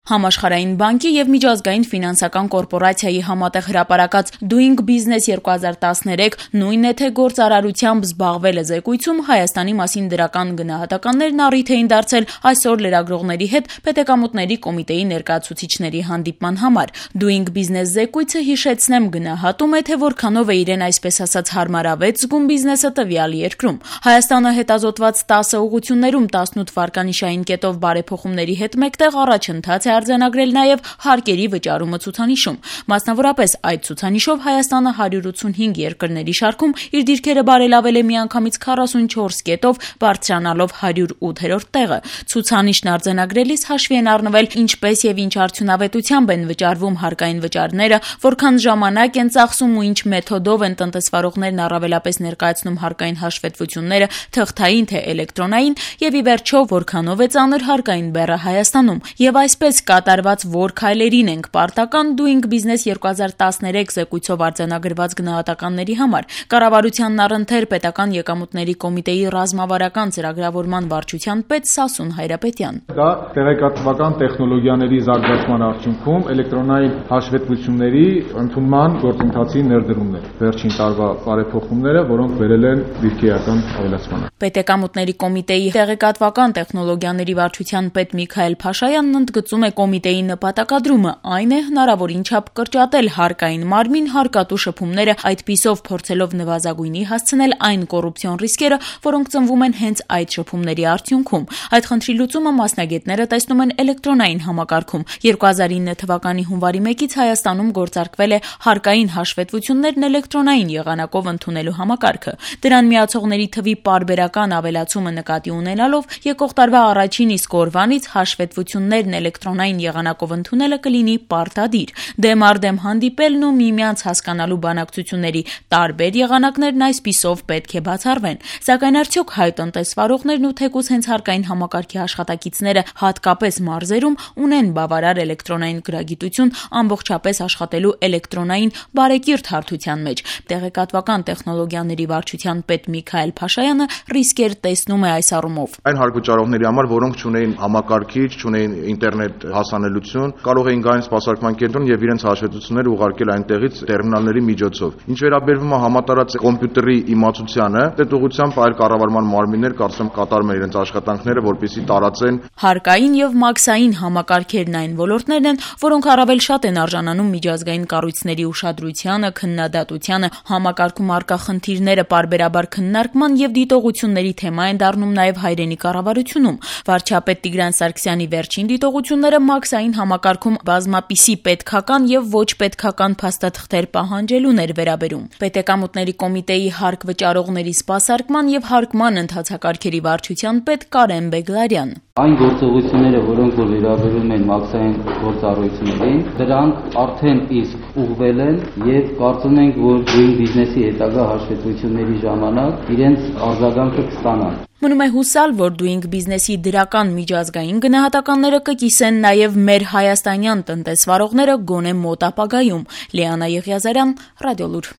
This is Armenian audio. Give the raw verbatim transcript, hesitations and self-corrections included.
Համաշխարհային բանկի եւ միջազգային ֆինանսական կորպորացիայի համատեղ հրապարակած Doing Business երկու հազար տասներեք նույն է թե գործարարությամբ զբաղվել է զեկույցում Հայաստանի մասին դրական գնահատականներն առիթ էին դարձել այսօր լրագրողների հետ Պետեկամուտների կոմիտեի ներկայացուցիչների հանդիպման համար։ Doing Business զեկույցը, հիշեցնեմ, գնահատում է, թե որքանով է իրեն այսպես ասած հարմարավետ զգում բիզնեսը տվյալ երկրում։ Հայաստանը հետազոտված տասը ուղղություններում տասնութ վարկանիշային կետով բարեփոխումների հետ մեկտեղ առաջընթաց է արձանագրել նաև հարկերի վճարումը ցուցանիշում։ Մասնավորապես այդ ցուցանիշով Հայաստանը հարյուր ութսունհինգ երկրների շարքում իր դիրքերը բարելավել է միանգամից քառասունչորս կետով, բարձրանալով հարյուր ութերորդ տեղը։ Ցուցանիշն արձանագրելիս հաշվի են առնվել ինչպես եւ ինչ արդյունավետությամբ են վճարվում հարկային վճարները, որքան ժամանակ են ծախսում ու ինչ մեթոդով են տնտեսվարողներն առավելապես ներկայացնում հարկային հաշվետվությունները, թղթային թե էլեկտրոնային, եւ ի վերջո որքանով է ծանր հարկային բեռը Հայաստանում։ Եվ այսպես կատարված որ քայլերին ենք պարտական Doing Business երկու հազար տասներեք զեկույցով արձանագրված գնահատականների համար։ Կառավարությանն առընթեր պետական եկամուտների կոմիտեի ռազմավարական ծրագրավորման վարչության պետ Սասուն Հայրապետյան։ Դա տեղեկատվական տեխնոլոգիաների զարգացման արդյունքում էլեկտրոնային հաշվետվությունների ընդունման գործընթացի ներդրումն է։ Վերջին տարվա բարեփոխումները, որոնք բերել են դիրքերական ավելացման։ Պետեկամուտների կոմիտեի տեղեկատվական տեխնոլոգիաների վարչության պետ Միքայել Փաշայանն ընդգծում է կոմիտեի նպատակադրումը, այն է հնարավորին չափ կրճատել հարկային մարմին հարկատու շփումները, այդպիսով փորձելով նվազագույնի հասցնել այն կոռուպցիոն ռիսկերը, որոնք ծնվում են հենց այդ շփումների արդյունքում։ Այդ խնդրի լուծումը մասնագետները տեսնում են էլեկտրոնային համակարգում։ երկու հազար ինը թվականի հունվարի մեկից Հայաստանում գործարկվել է հարկային հաշվետվություններն էլեկտրոնային եղանակով ընդունելու համակարգը։ Դրան միացողների թվի պարբերական ավելացումը նկատի ունենալով եկող տարվա առաջին իսկ օրվանից հաշվետվություններն էլեկտրոնային եղանակով ընդունելը կլինի պարտադիր։ Դեմ առ դեմ հանդիպելն ու միմյանց հասկանալու բանակցությունների տարբեր եղանակներն այսպիսով պետք է բացառվեն։ Սակայն արդյոք հայ տնտեսվարողներն ու թեկուզ հենց հարկային համակարգի աշխատակիցները հատկապես մարզերում ունեն բավարար էլեկտրոնային գրագիտություն ամբողջապես աշխատելու էլեկտրոնային բարեկիրթ հարթության մեջ։ Տեղեկատվական տեխնոլոգիաների վարչության պետ Միքայել Փաշայանը ռիսկեր տեսնում է այս առումով։ Այն հարկվճարողների համար, որոնք չունեին համակարգիչ, չունեին ինտերնետ հասանելիություն, կարող էին գալ սպասարկման կենտրոն եւ իրենց հաշվետվությունները ուղարկել այնտեղից տերմինալների միջոցով։ Ինչ վերաբերվում է համատարած կոմպյուտերի իմացությանը, այդ ուղղությամբ այլ կառավարման մարմիններ կարծեմ կատարում են իրենց աշխատանքները, որպեսզի տարածեն։ Հարկային եւ մաքսային համակարգերն այն ոլորտներն են, որոնք առավել շատ են արժանանում միջազգային կառույցների ուշադրությանը, քննադատությանը, համակարգում առկա խնդիրները պարբերաբար քննարկման եւ դիտողությունների թեմա են դառնում նաեւ հայրենի կառավարությունում։ Վարչապետ Տիգրան Սարգսյանի վերջին դիտողությունները մաքսային համակարգում բազմապիսի պետքական եւ ոչ պետքական փաստաթղթեր պահանջելուն էր վերաբերում։ Պետեկամուտների կոմիտեի հարկ վճարողների սպասարկման եւ հարկման ընթացակարգերի վարչության պետ Կարեն Բեգլարյան։ Այն գործողությունները, որոնք որ վերաբերում են մաքսային գործառույթներին, դրանք արդեն իսկ ուղղվել են եւ կարծում ենք, որ Doing Business-ի հետագա հաշվետվությունների ժամանակ իրենց արձագանքը կստանան։ Մնում է հուսալ, որ Doing Business-ի դրական միջազգային գնահատականները կկիսեն նաև մեր հայաստանյան տնտեսվարողները գոնե մոտ ապագայում։ Լիանա Եղիազարյան, Ռադիոլուր։